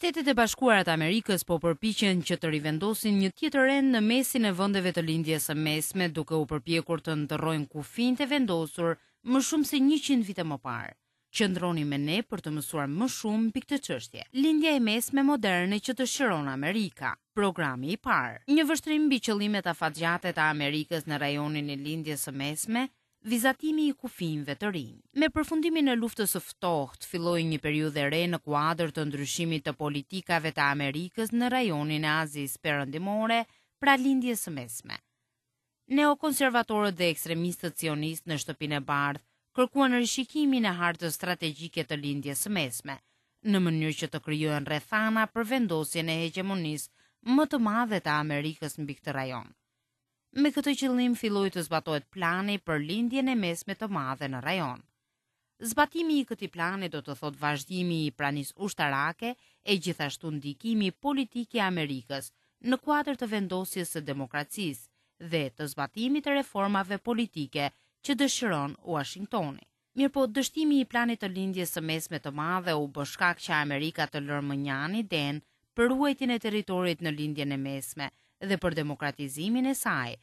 Shtetet e Bashkuara të Amerikës po përpiqen që të rivendosin një tjetër rend në mesin e vendeve të Lindjes së Mesme duke u përpjekur të ndërrojnë kufinjtë e vendosur më shumë se 100 vite më parë. Qëndroni me ne për të mësuar më shumë mbi këtë çështje. Lindja e Mesme moderne që dëshiron Amerika. Programi i parë. Një vështrim mbi qëllimet afatgjate të Amerikës në rajonin e Lindjes së Mesme, vizatimi i kufinjve të rinj. Me përfundimin e Luftës së Ftohtë filloi një periudhë e re në kuadër të ndryshimit të politikave të Amerikës në rajonin e Azisë Perëndimore, pra Lindjes së Mesme. Neokonservatorët dhe ekstremistët sionistë në Shtëpinë e Bardhë kërkuan rishikimin e hartës strategjike të Lindjes së Mesme, në mënyrë që të krijohen rrethana për vendosjen e hegjemonisë më të madhe të Amerikës mbi këtë rajon. Me këtë qëllim filloi të zbatohet plani për Lindjen e Mesme të Madhe në rajon. Zbatimi i këtij plani do të thotë vazhdimi i pranisë ushtarake e gjithashtu ndikimi politik i Amerikës në kuadër të vendosjes së demokracisë dhe të zbatimit të reformave politike që dëshiron Uashingtoni. Mirëpo, dështimi i planit të Lindjes së Mesme të Madhe u bë shkak që Amerika të lërë mënjanë idenë për ruajtjen e territorit në Lindjen e Mesme dhe për demokratizimin e saj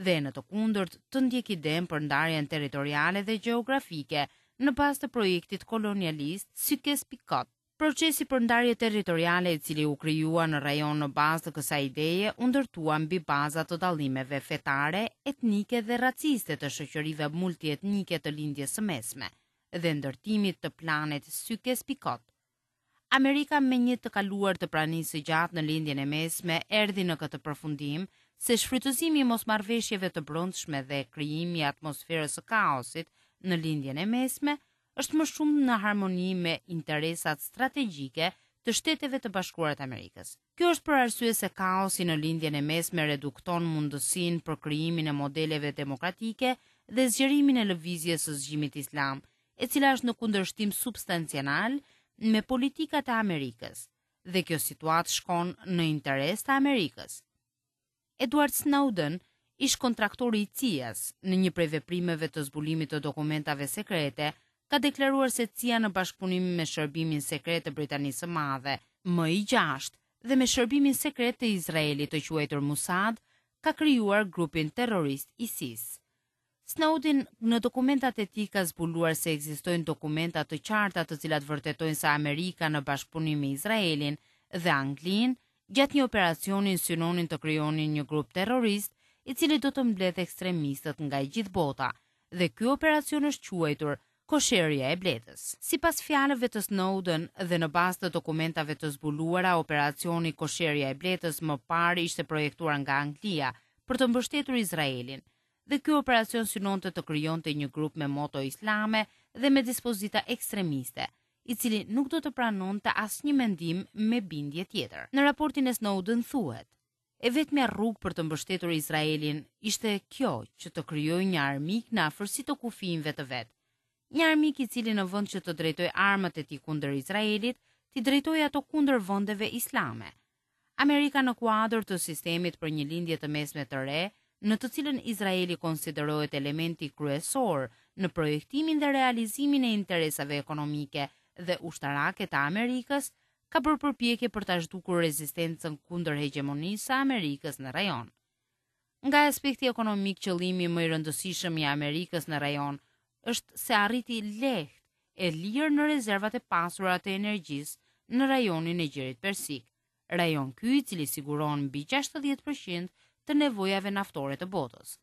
dhe në të kundërt të ndjekë idenë për ndarjen territoriale dhe gjeografike në bazë të projektit kolonialist Sykes-Picot. Procesi për ndarje territoriale i cili u krijua në rajon në bazë të kësaj ideje u ndërtua mbi baza të dallimeve fetare, etnike dhe raciste të shoqërive multietnike të Lindjes së Mesme dhe ndërtimit të planit Sykes-Picot. Amerika me një të kaluar të pranisë së gjatë në Lindjen e Mesme erdhi në këtë përfundim se shfrytëzimi i mosmarrëveshjeve të brendshme dhe krijimi i atmosferës së kaosit në Lindjen e Mesme është më shumë në harmoni me interesat strategjike të Shteteve të Bashkuara të Amerikës. Kjo është për arsye se kaosi në Lindjen e Mesme redukton mundësinë për krijimin e modeleve demokratike dhe zgjerimin e lëvizjes së zgjimit islam, e cila është në kundërshtim substancial me politikat e Amerikës, dhe kjo situatë shkon në interes të Amerikës. Edward Snowden, ish-kontraktori i CIA-s, në një prej veprimeve të zbulimit të dokumentave sekrete, ka deklaruar se CIA në bashkëpunim me Shërbimin Sekret të Britanisë së Madhe, MI6, dhe me Shërbimin Sekret të Izraelit të quajtur Mossad, ka krijuar grupin terrorist ISIS. Snowden në dokumentat e tij ka zbuluar se ekzistojnë dokumenta të qarta të cilat vërtetojnë se Amerika në bashkëpunim me Izraelin dhe Anglinë gjatë një operacioni synonin të krijonin një grup terrorist i cili do të mbledhë ekstremistët nga e gjithë bota dhe ky operacion është quajtur Kosherja e Bletës. Sipas fjalëve të Snowden dhe në bazë të dokumentave të zbuluara, operacioni Kosherja e Bletës më parë ishte projektuar nga Anglia për të mbështetur Izraelin dhe ky operacion synonte të krijonte një grup me moto islame dhe me dispozita ekstremiste, i cili nuk do të pranonte asnjë mendim me bindje tjetër. Në raportin e Snowden thuhet, E vetmja rrugë për të mbështetur Izraelin ishte kjo që të krijojë një armik në afërsi të kufinjve të vet. Një armik i cili në vend që të drejtojë armët e tij kundër Izraelit, t'i drejtojë ato kundër vendeve islame. Amerika në kuadër të sistemit për një Lindje të Mesme të re, në të cilën Izraeli konsiderohet elementi kryesor në projektimin dhe realizimin e interesave ekonomike dhe ushtarake të Amerikës, ka bërë përpjekje për ta zhdukur rezistencën kundër hegjemonisë së Amerikës në rajon. Nga aspekti ekonomik qëllimi më i rëndësishëm i Amerikës në rajon është se arriti lehtë e lirë në rezervat e pasura të energjisë në rajonin e Gjirit Persik, rajon ky i cili siguron mbi 60% të nevojave naftore të botës.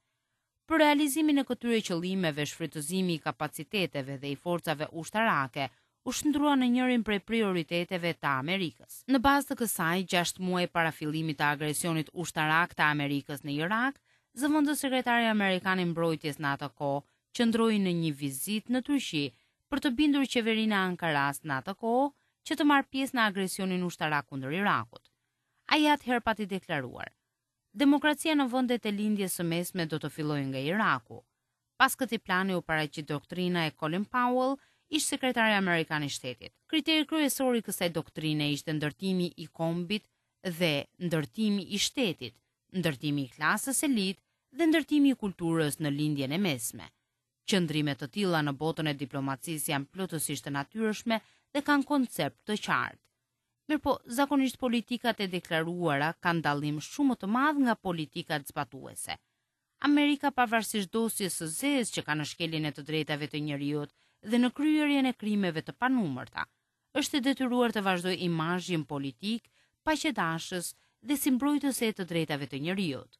Për realizimin e këtyre qëllimeve, shfrytëzimi i kapaciteteve dhe i forcave ushtarake u shndërrua në njërin prej prioriteteve të Amerikës. Në bazë të kësaj, 6 muaj para fillimit të agresionit ushtarak të Amerikës në Irak, zëvendës sekretari amerikan i mbrojtjes në atë kohë qëndroi në një vizitë në Turqi për të bindur qeverinë e Ankarasë në atë kohë që të marrë pjesë në agresionin ushtarak kundër Irakut. Ai atëherë pati deklaruar, Demokracia në vendet e Lindjes së Mesme do të fillojë nga Iraku. Pas këtij plani u paraqit doktrina e Colin Powell, ish-sekretari amerikan i shtetit. Kriteri kryesor i kësaj doktrine ishte ndërtimi i kombit dhe ndërtimi i shtetit, ndërtimi i klasës elitë dhe ndërtimi i kulturës në Lindjen e Mesme. Qëndrime të tilla në botën e diplomacisë janë plotësisht të natyrshme dhe kanë koncept të qartë. Mirëpo, zakonisht politikat e deklaruara kanë dallim shumë më të madh nga politikat zbatuese. Amerika pavarësisht dosjes së zezë që ka në shkeljen e të drejtave të njeriut dhe në kryerjen e krimeve të panumërta, është e detyruar të vazhdojë imazhin politik paqedashës dhe si mbrojtëse e të drejtave të njeriut.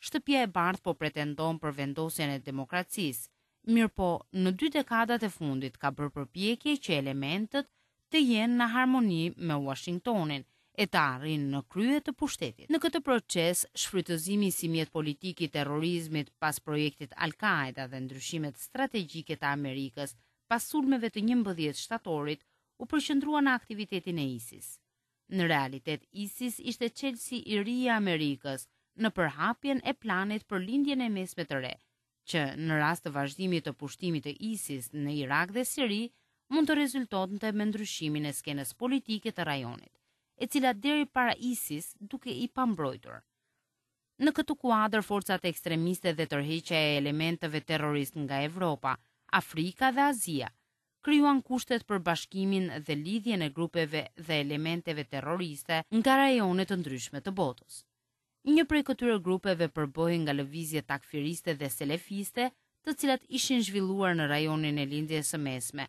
Shtëpia e Bardhë po pretendon për vendosjen e demokracisë, mirëpo në dy dekadat e fundit ka bërë përpjekje që elementët të jenë në harmoni me Uashingtonin e të arrijnë në krye të pushtetit. Në këtë proces, shfrytëzimi si mjet politik i terrorizmit pas projektit Al-Kaeda dhe ndryshimet strategjike të Amerikës pas sulmeve të 11 shtatorit u përqendrua në aktivitetin e ISIS. Në realitet ISIS ishte çelësi i ri i Amerikës në përhapjen e planit për Lindjen e Mesme të Re, që në rast të vazhdimit të pushtimit të ISIS në Irak dhe Siri, mund të rezultonte me ndryshimin e skenës politike të rajonit, e cila deri para ISIS dukej i pambrojtur. Në këtë kuadër forcat ekstremiste dhe tërheqja e elementëve terroristë nga Evropa, Afrika dhe Azia, krijuan kushtet për bashkimin dhe lidhjen e grupeve dhe elementeve terroriste nga rajone të ndryshme të botës. Një prej këtyre grupeve përbëhej nga lëvizje takfiriste dhe selefiste, të cilat ishin zhvilluar në rajonin e Lindjes së Mesme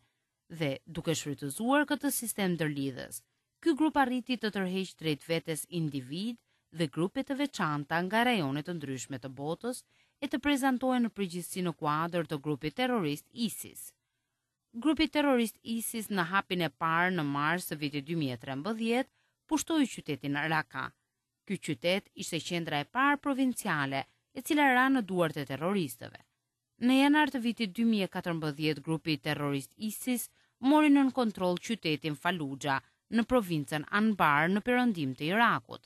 dhe, duke shfrytëzuar këtë sistem ndërlidhës, ky grup arriti të tërheqë drejt vetes individë dhe grupe të veçanta nga rajone të ndryshme të botës e të prezantohen në përgjithësi në kuadër të grupit terrorist ISIS. Grupi terrorist ISIS në hapin e parë në mars të vitit 2013 pushtoi qytetin Raka, Ky qytet ishte qendra e parë provinciale e cila ra në duart e terroristëve. Në janar të vitit 2014 grupi terrorist ISIS mori nën kontroll qytetin Fallujah në provincën Anbar në perëndim të Irakut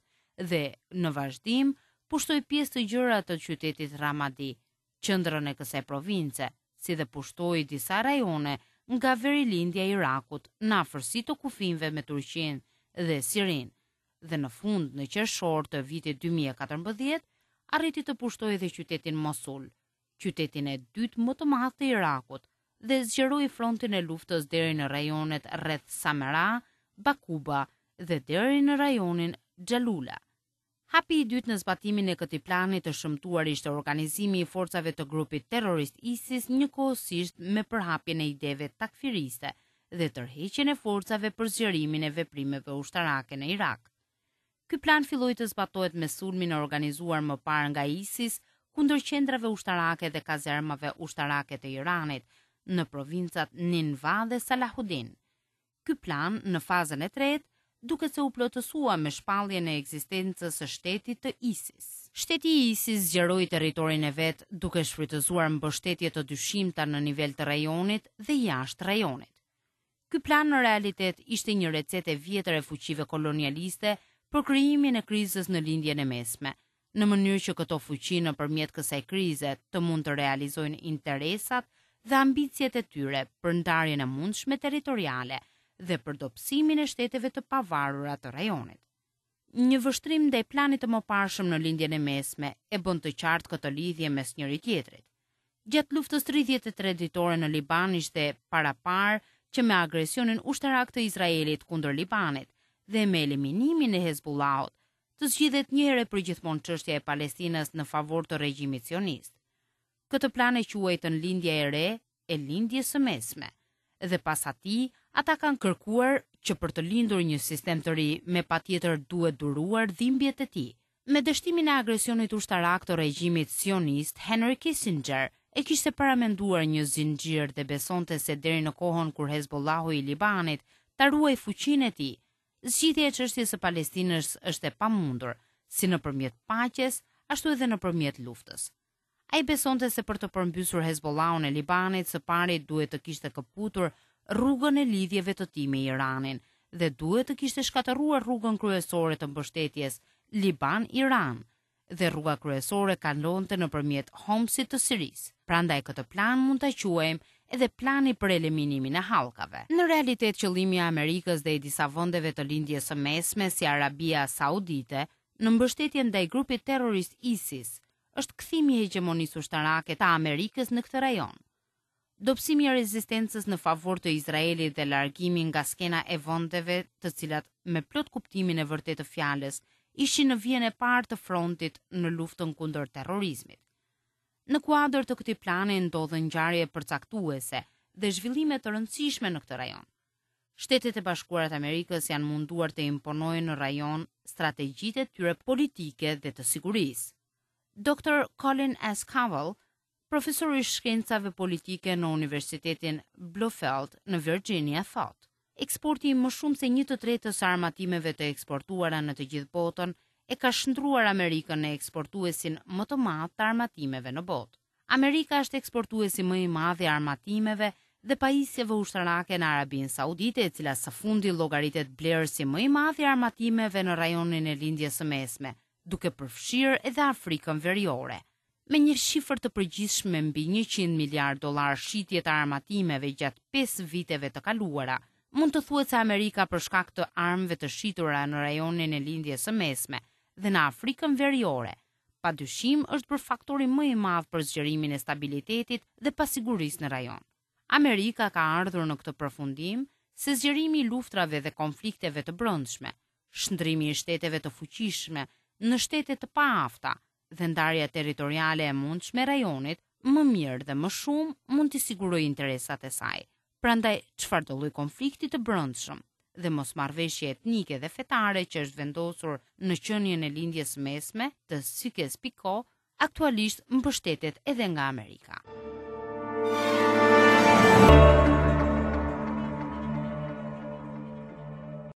dhe në vazhdim pushtoi pjesë të gjera të qytetit Ramadi, qendrën e kësaj province, si dhe pushtoi disa rajone nga verilindja e Irakut në afërsi të kufinjve me Turqinë dhe Sirinë, dhe në fund në qershor të vitit 2014 arriti të pushtojë edhe qytetin Mosul, qytetin e dytë më të madh të Irakut dhe zgjeroi frontin e luftës deri në rajonet rreth Samera, Bakuba dhe deri në rajonin Xhalula. Hapi i dytë në zbatimin e këtij plani të shëmtuar ishte organizimi i forcave të grupit terrorist ISIS njëkohësisht me përhapjen e ideve takfiriste dhe tërheqjen e forcave për zgjerimin e veprimeve ushtarake në Irak. Ky plan filloi të zbatohet me sulmin e organizuar më parë nga ISIS kundër qendrave ushtarake dhe kazermave ushtarake të Iranit në provincat Ninva dhe Salahudin. Ky plan, në fazën e tretë, duket se u plotësua me shpalljen e ekzistencës së shtetit të ISIS. Shteti i ISIS zgjeroi territorin e vet duke shfrytëzuar mbështetje të dyshimta në nivel të rajonit dhe jashtë rajonit. Ky plan në realitet ishte një recetë e vjetër e fuqive kolonialiste për krijimin e krizës në Lindjen e Mesme, në mënyrë që këto fuqi nëpërmjet kësaj krize të mund të realizojnë interesat dhe ambiciet e tyre për ndarjen e mundshme territoriale dhe për dobësimin e shteteve të pavarura të rajonit. Një vështrim ndaj planit të mëparshëm në Lindjen e Mesme e bën të qartë këtë lidhje mes njëri-tjetrit. Gjatë luftës 33 ditore në Liban ishte paraparë që me agresionin ushtarak të Izraelit kundër Libanit dhe me eliminimin e Hezbollahut të zgjidhet një herë e përgjithmonë çështja e Palestinës në favor të regjimit sionist. Këtë plan e quajtën Lindja e Re e Lindjes së Mesme dhe pas atij ata kanë kërkuar që për të lindur një sistem të ri me patjetër duhet duruar dhimbjet e tij. Me dështimin e agresionit ushtarak të regjimit sionist, Henry Kissinger e kishte paramenduar një zinxhir dhe besonte se deri në kohën kur Hezbollahu i Libanit ta ruajë fuqinë e tij, Zgjidhja e çështjes së Palestinës është e pamundur, si nëpërmjet paqes, ashtu edhe nëpërmjet luftës. Ai besonte se për të përmbysur Hezbollahun e Libanit, së pari duhet të kishte këputur rrugën e lidhjeve të tij me Iranin dhe duhet të kishte shkatërruar rrugën kryesore të mbështetjes Liban-Iran, dhe rruga kryesore kalonte nëpërmjet Homsit të Sirisë. Prandaj këtë plan mund ta quajmë edhe plani për eliminimin e hallkave. Në realitet qëllimi i Amerikës dhe i disa vendeve të Lindjes së Mesme si Arabia Saudite në mbështetje ndaj grupit terrorist ISIS është kthimi i hegjemonisë ushtarake të Amerikës në këtë rajon. Dobësimi i rezistencës në favor të Izraelit dhe largimi nga skena e vendeve të cilat me plot kuptimin e vërtetë të fjalës ishin në vijën e parë të frontit në luftën kundër terrorizmit. Në kuadër të këtij plani ndodhën ngjarje përcaktuese dhe zhvillime të rëndësishme në këtë rajon. Shtetet e Bashkuara të Amerikës janë munduar të imponojnë në rajon strategjitë e tyre politike dhe të sigurisë. Dr. Colin S. Kahl Profesor i shkencave politike në Universitetin Bluefield në Virginia thotë, Eksporti i më shumë se një të tretës së armatimeve të eksportuara në të gjithë botën e ka shndërruar Amerikën në eksportuesin më të madh të armatimeve në botë. Amerika është eksportuesi më i madh i armatimeve dhe pajisjeve ushtarake në Arabinë Saudite, e cila së fundi llogaritet blerësi më i madh i armatimeve në rajonin e Lindjes së Mesme, duke përfshirë edhe Afrikën Veriore. Me një shifër të përgjithshme mbi 100 miliardë dollarë shitje të armatimeve gjatë 5 viteve të kaluara, mund të thuhet se Amerika për shkak të armëve të shitura në rajonin e Lindjes së Mesme dhe në Afrikën Veriore, pa dyshim është bërë faktori më i madh për zgjerimin e stabilitetit dhe pasigurisë në rajon. Amerika ka ardhur në këtë përfundim se zgjerimi i luftrave dhe konflikteve të brendshme, shndërrimi i shteteve të fuqishme në shtete të paafta dhe ndarja territoriale e mundshme e rajonit më mirë dhe më shumë mund t'i sigurojë interesat e saj. Prandaj çfarëdo lloj konflikti të brendshëm dhe mosmarrëveshje etnike dhe fetare që është vendosur në qenien e Lindjes së Mesme të Sykes-Picot, aktualisht mbështetet edhe nga Amerika.